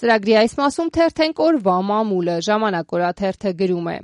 Ծրագրի այս մասում թերթենք օրվա մամուլը, Ժամանակ օրաթերթը գրում է.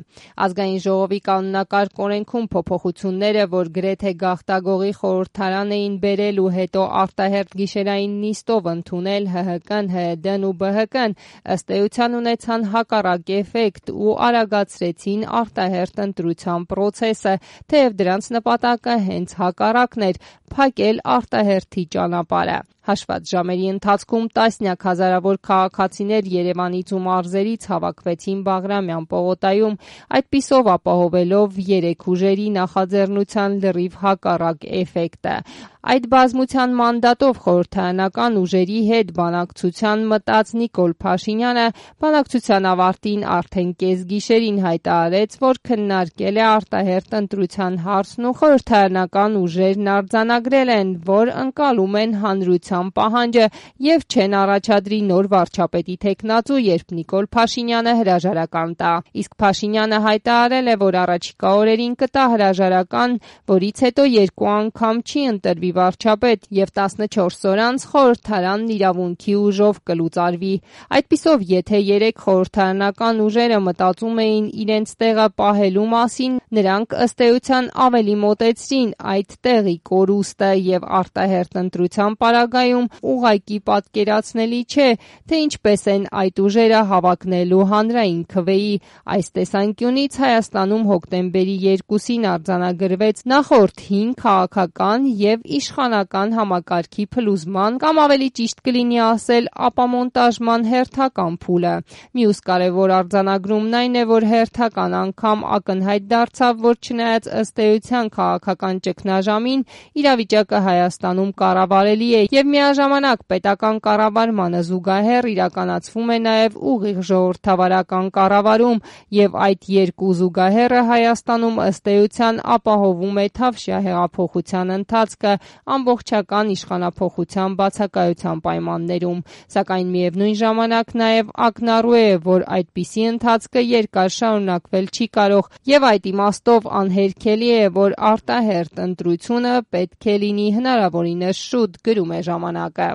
Ազգային ժողովի կանոնակարգ օրենքում փոփոխությունները, որ գրեթե գաղտագողի խորհրդարան էին բերել ու հետո արտահերթ գիշերային նիստով ընդունել ՀՀԿ-ն, ՀՅԴ-ն ու ԲՀԿ-ն, ըստ էության ունեցան հակառակ էֆեկտ ու արագացրեցին արտահերթ ընտրության պրոցեսը, թեև դրանց նպատակը հենց հակառակն էր՝ փակել արտահերթի ճանապարհը։ Հաշված ժամերի ընթացքում տասնյակ հազարավոր քաղաքացիներ Երևանից ու մարզերից հավաքվեցին Բաղրամյան պողոտայում, այդպիսով ապահովելով երեք ուժերի նախաձեռնության լրիվ հակառակ էֆեկտը։ Այդ բազմության մանդատով խորհրդարանական ուժերի հետ բանակցության մտած Նիկոլ Փաշինյանը բանակցության ավարտին արդեն կեսգիշերին հայտարարեց, որ քննարկել է արտահերթ ընտրության հարցն ու խորհրդարանական ուժերն արձանագրել են, որ ընկալում են հանրության պահանջը եւ չեն առաջադրի նոր վարչապետի թեկնածու, երբ Նիկոլ Փաշինյանը հրաժարական տա։ Իսկ Փաշինյանը հայտարարել է, որ առաջիկա օրերին կտա հրաժարական, որից հետո երկու անգամ չի ընտրվի վարչապետ եւ 14 օր անց խորհրդարանն իրավունքի ուժով կլուծարվի։ Այդպիսով, եթե երեք խորհրդարանական ուժերը մտածում էին իրենց տեղը պահելու մասին, նրանք ըստ էության ավելի մոտեցրին այդ տեղի կորուստը եւ արտահերթ ընտրության պարագայում ուղղակի պատկերացնելի չէ, թե ինչպես են այդ ուժերը հավակնելու հանրային քվեի։ Այս տեսանկյունից Հայաստանում հոկտեմբերի 2-ին արձանագրվեց նախորդ 5 քաղաքական եւ իշխանական համակարգի փլուզման, կամ ավելի ճիշտ կլինի ասել ապամոնտաժման հերթական փուլը։ Մյուս կարևոր արձանագրումն այն է, որ հերթական անգամ ակնհայտ դարձավ, որ չնայած ըստ էության քաղաքական ճգնաժամին, իրավիճակը Հայաստանում կառավարելի է եւ միաժամանակ պետական կառավարմանը զուգահեռ իրականացվում է նաեւ ուղիղ ժողովրդավարական կառավարում եւ այդ երկու զուգահեռը Հայաստանում ըստ էության ապահովում է թավշյա հեղափոխության ընթացքը ամբողջական իշխանափոխության բացակայության պայմաններում, սակայն միևնույն ժամանակ նաև ակնառու է, որ այդպիսի ընթացքը երկար շարունակվել չի կարող եւ այդ իմաստով անհերքելի է, որ արտահերթ ընտրությունը պետք է լինի հնարավորինս շուտ, գրում է Ժամանակը։